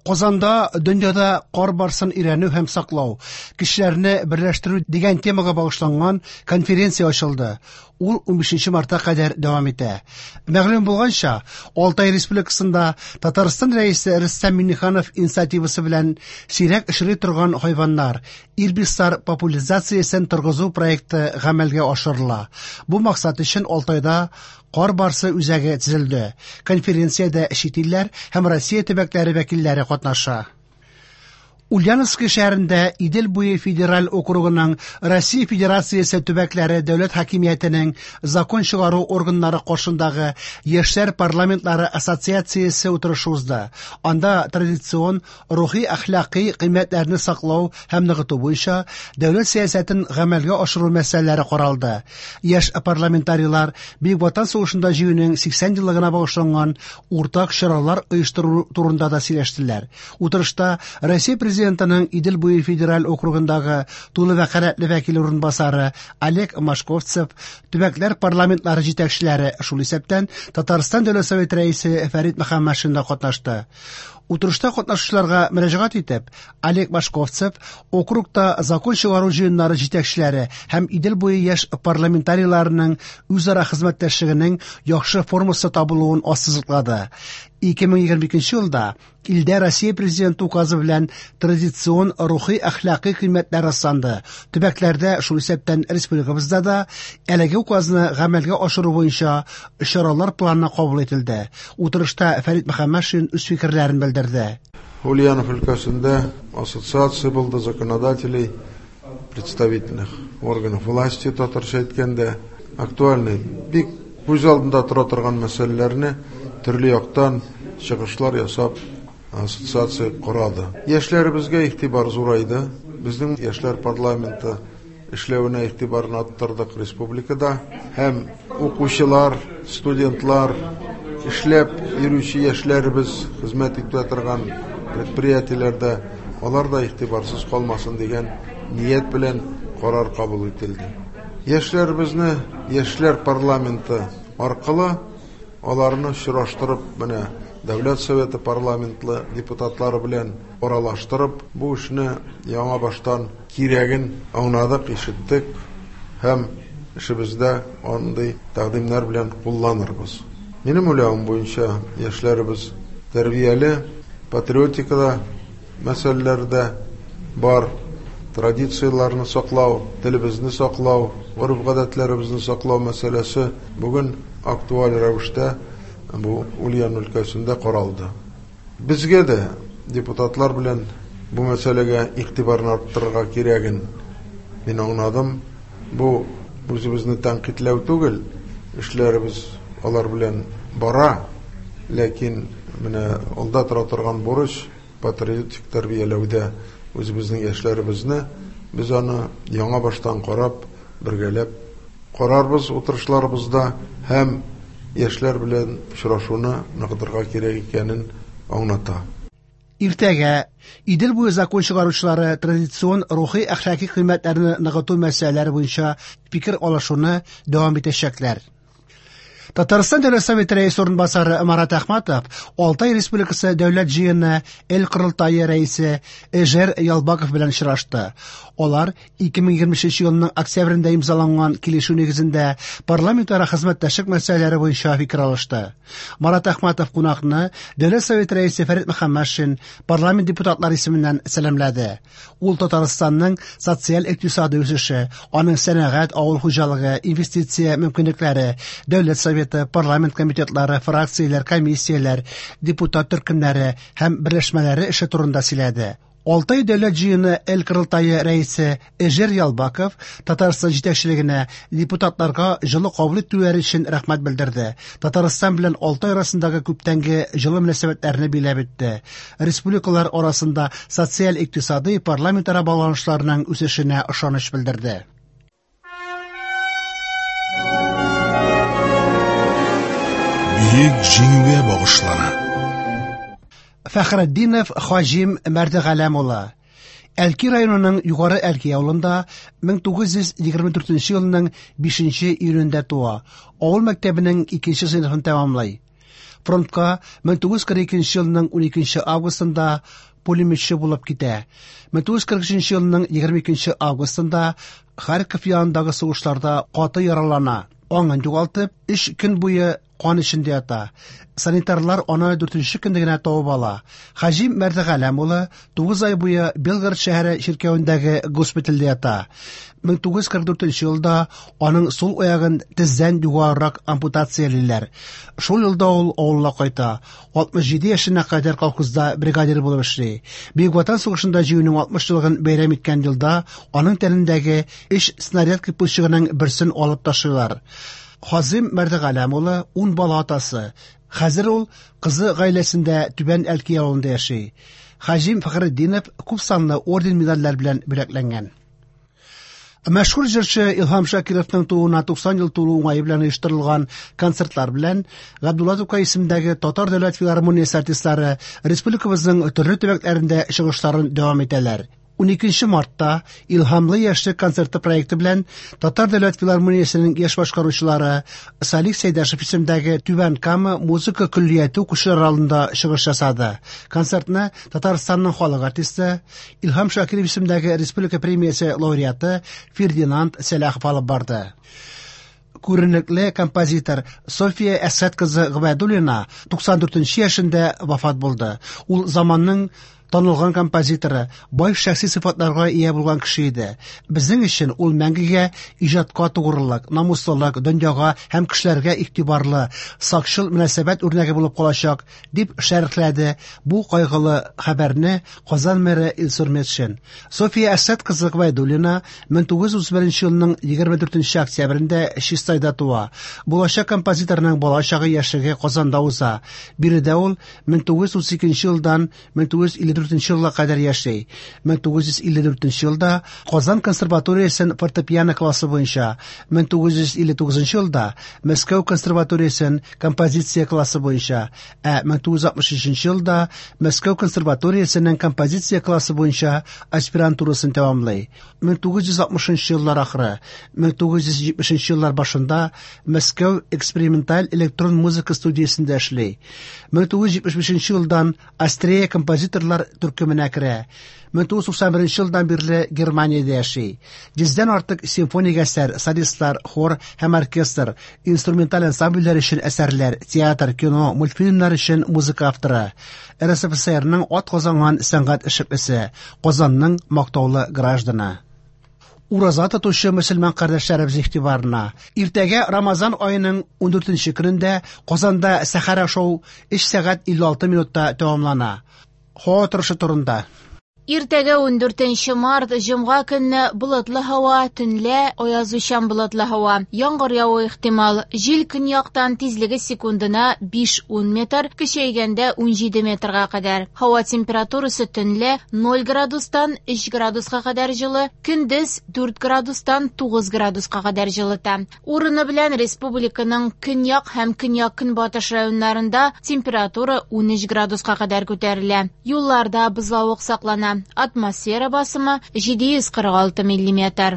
Казанда дөньяда кар барсын өйрәнү һәм саклау, кешеләрне берләштерү дигән темага багышланган конференция ачылды. Ул 15 мартка кадәр дәвам итә. Мәгълүм булганча, Алтай Республикасында Татарстан Рәисе Рөстәм Миңнеханов инициативасы белән сирәк очрый торган хайваннар, ирбислар популяризациясен торгызу проекты гамәлгә ашырыла. Бу максат өчен Алтайда Кар барсы үзәге төзелде. Конференциядә чит илләр һәм Россия төбәкләре вәкилләре катнаша. Ульяновский шәһәрендә Идел буе федераль округының Россия Федерациясе төбәкләре дәүләт хакимиятенең закон чыгару органнары каршындагы Яшьләр парламентлары ассоциациясе утырышы узды. Анда традицион рухи-әхлакый кыйммәтләрне саклау һәм ныгыту буенча дәүләт сәясәтен гамәлгә ашыру мәсьәләләре каралды. Яшь парламентарийлар Бөек Ватан сугышында җиңүнең 80 еллыгына багышланган уртак чаралар оештыру турында да сөйләштеләр. Утырышта Россия Президентының Идел буе федераль округындагы тулы вәкаләтле вәкиле урынбасары Олег Машковцев, төбәкләр парламентлары җитәкчеләре, шул исәптән Татарстан Дәүләт Советы Рәисе Фәрит Мөхәммәтшин да катнашты. Утырышта катнашучыларга мөрәҗәгать итеп, Олег Башковцев округта закон чыгару җыеннары җитәкчеләре һәм Идел буе яшь парламентарийларының үзара хезмәттәшлегенең яхшы формасы табылуын ассызыклады. 2022 елда илдә Россия Президенты указы белән традицион рухи-әхлакый кыйммәтләр расланды. Төбәкләрдә, шул исәптән республикабызда да, әлеге указны гамәлгә ашыру буенча чаралар планы кабул ителде. Утырышта Фәрит Мөхәммәтшин үз фикерләрен белдерде. Ульянов өлкәсендә ассоциация булды законодателей представительных органов власти, татарча әйткәндә, актуальный, бик күз алдында тора торган мәсьәләләрне төрле яктан чыгышлар ясап ассоциация карады. Яшьләребезгә игътибар зурайды. Безнең яшьләр парламенты эшләвенә игътибарны арттырдык республикада һәм укучылар, студентлар, эшләп йөрүче яшьләребез хезмәт итә торган предприятиеләрдә алар да игътибарсыз калмасын дигән ният белән карар кабул ителде. Яшьләребезне яшьләр парламенты аркылы аларны очраштырып, менә Дәүләт Советы парламентлы депутатлары белән аралаштырып, бу эшне яңа баштан кирәген аңладык, ишеттек һәм эшебездә андый тәкъдимнәр белән кулланырбыз. Минем уйлавым буенча, яшьләребез тәрбияле, патриотикада мәсьәләләр дә бар. Традицияләрне саклау, телебезне саклау, гореф-гадәтләребезне саклау мәсьәләсе бүген актуаль рәвештә бу Ульян өлкәсендә каралды. Безгә дә депутатлар белән бу мәсьәләгә игътибарны арттырырга кирәген мин аңладым. Бу үзебезне тәнкыйтьләү түгел, эшләребез алар белән бара, ләкин менә алда тора торган бурыч патриотик тәрбияләүдә үзебезнең яшьләребезне без аны яңа баштан карап, бергәләп карарбыз утырышларыбызда һәм яшьләр белән очрашуны ныгытырга кирәк икәнен аңлата. Иртәгә Идел буе закон чыгаручылары традицион рухи-әхлакый кыйммәтләрне ныгыту мәсьәләләре буенча фикер алышуны дәвам итәчәкләр. Татарстан Дәүләт Советы рәисе урынбасары Марат Әхмәтов Алтай Республикасы Дәүләт җыены Эл Корылтае рәисе Эжер Ялбаков белән очрашты. Алар 2023 елның октябрендә имзаланган килешү нигезендә парламентара хезмәттәшлек мәсьәләләре буенча фикер алышты. Марат Әхмәтов кунакны Дәүләт Советы рәисе Фәрит Мөхәммәтшин парламент депутатлары исеменнән сәламләде. Ул Татарстанның социаль-икътисади үсеше, аның сәнәгать, авыл хуҗалыгы, инвестиция мөмкинлекләре, Дәүләт Советы, парламент комитетлары, фракцияләр, комиссияләр, депутат төркемнәре һәм берләшмәләре эше турында сөйләде. Алтай дәүләт җыены Эл Корылтае рәисе Эжер Ялбаков Татарстан җитәкчелегенә депутатларга җылы кабул итүләре өчен рәхмәт белдерде. Татарстан белән Алтай арасындагы күптәнге җылы мөнәсәбәтләрне биләп үтте. Республикалар арасында социаль-икътисадый парламентара багланышларның үсешенә ышаныч белдерде. Бөек Җиңүгә багышлана. Фәхретдинов Хаҗим Мәрдегаләм улы Әлки районының Югары Әлки авылында 1924 елның 5 июнендә туа. Авыл мәктәбенең 2 сыйныфын тәмамлый. Фронтка 1942 елның 12 августында пулеметчы булып китә. 1943 елның 22 августында Харьков янындагы сугышларда каты яралана. Аңын югалтып, 3 көн буе кан эчендә ята. Санитарлар аны 4нче көндә генә табып ала. Хаҗим Мәрдегаләм улы 9 ай буе Белгород шәһәре чиркәвендәге госпитальдә ята. 1944 елда аның сул аягын тездән югарырак ампутациялиләр. Шул елда ул авылына кайта. 67 яшенә кадәр колхозда бригадир булып эшли. Бөек Ватан сугышында җиңүнең 60 еллыгын бәйрәм иткән елда аның тәнендәге 3 снаряд кыйпылчыгының берсен алып ташлыйлар. Хазим Мәрдегаләм улы 10 бала атасы. Хәзер ул кызы гаиләсендә Түбән Әлки авылында яши. Хаҗим Фәхретдинов күп санлы орден медальләр белән бүләкләнгән. Мәшһүр җырчы Илһам Шакировның тууына 90 ел тулу уңае белән оештырылган концертлар белән Габдулла Тукай исемендәге Татар дәүләт филармониясе артистлары республикабызның төрле төбәкләрендә чыгышларын дәвам итәләр. 12 мартта Илһамлы яшьлек концерты проекты белән Татар дәүләт филармониясенең яшь башкаручылары Салих Сәйдәшев исемендәге Түбән Кама музыка көллияте укучылары алдында чыгыш ясады. Концертны Татарстанның халык артисты, Илһам Шакиров исемендәге республика премиясе лауреаты Фердинанд Сәлахов алып барды. Күренекле композитор София Әсәт кызы Гобәйдуллина 94 яшендә вафат булды. Ул заманның танылган композиторы, бай шәхси сыйфатларга ия булган кеше иде. Безнең өчен ул мәңгегә иҗатка тугрылык, намуслылык, дөньяга һәм кешеләргә игътибарлы, сакчыл мөнәсәбәт үрнәге булып калачак, дип шәрехләде бу кайгылы хәбәрне Казан мэры Илсур Метшин. София Әсәт кызы Гобәйдуллина 1931 елның 24 октябрендә Чистайда туа. Булачак композиторның балачагы яшьлеге Казанда уза. Биредә ул 1932 елдан 1954 елга кадәр яши. 1954 елда Казан консерваториясен фортепиано классы буенча, 1959 елда Мәскәү консерваториясен композиция классы буенча, ә 1963 елда Мәскәү консерваториясенең композиция классы буенча аспирантурасын тәмамлый. 1960 еллар ахыры, 1970 еллар башында Мәскәү эксперименталь электрон музыка студиясендә эшли. 1975 елдан Астрея композиторлар төркеменә керә. 1991 елдан бирле Германиядә яши. Йөздән артык симфоник әсәр, солистлар, хор һәм оркестр, инструменталь ансамбльләр өчен әсәрләр, театр, кино, мультфильмнар өчен музыка авторы. РСФСРның ат казанган сәнгать эшлеклесе, Казанның мактаулы гражданы. Ураза тотучы мөселман кардәшләребез игътибарына. Иртәгә Рамазан аеның 14 көнендә Казанда сәхәр ашау 3 сәгать 56 минутта тәмамлана. Һава торышы турында. Иртәгә 14 март, җомга көнне болытлы һава, төнлә аязучан болытлы һава. Яңгыр явуы ихтимал. Җил көньяктан тизлеге секундына 5-10 метр, көчәйгәндә 17 метрга кадәр. Һава температурасы төнлә 0 градустан 3 градуска кадәр җылы, көндез 4 градустан 9 градуска кадәр җылыта. Урыны белән республиканың көньяк һәм көньяк-көнбатыш районнарында температура 13 градуска кадәр күтәрелә. Юлларда бозлавык саклана. Атмосфера басымы 746 миллиметр.